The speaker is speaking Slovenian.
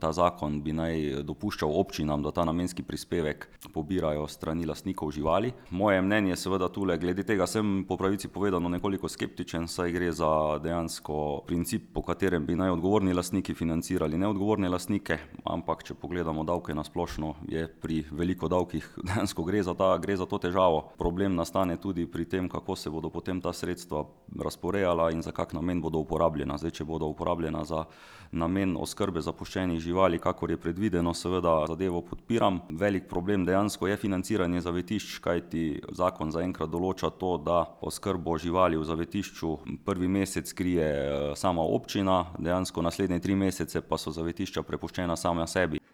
ta zakon bi naj dopuščal občinam, da ta namenski prispevek pobirajo strani lastnikov živali. Moje mnenje seveda tule, glede tega sem po pravici povedano nekoliko skeptičen, saj gre za dejansko princip, po katerem bi naj odgovorni lastniki financirali neodgovorne lastnike, ampak če pogledamo davke na splošno, je pri veliko davkih dejansko gre za to težavo. Problem nastane tudi pri tem, kako se bodo potem ta sredstva razporejala in za kak namen bodo uporabljena. Zdaj, če bodo uporabljena za namen oskrbe zapuščenih živali, kakor je predvideno, seveda zadevo podpiram. Velik problem dejansko je financiranje zavetišč, kajti zakon zaenkrat določa to, da oskrbo živali v zavetišču prvi mesec krije sama občina, dejansko naslednje 3 mesece pa so zavetišča prepuščena sama sebi.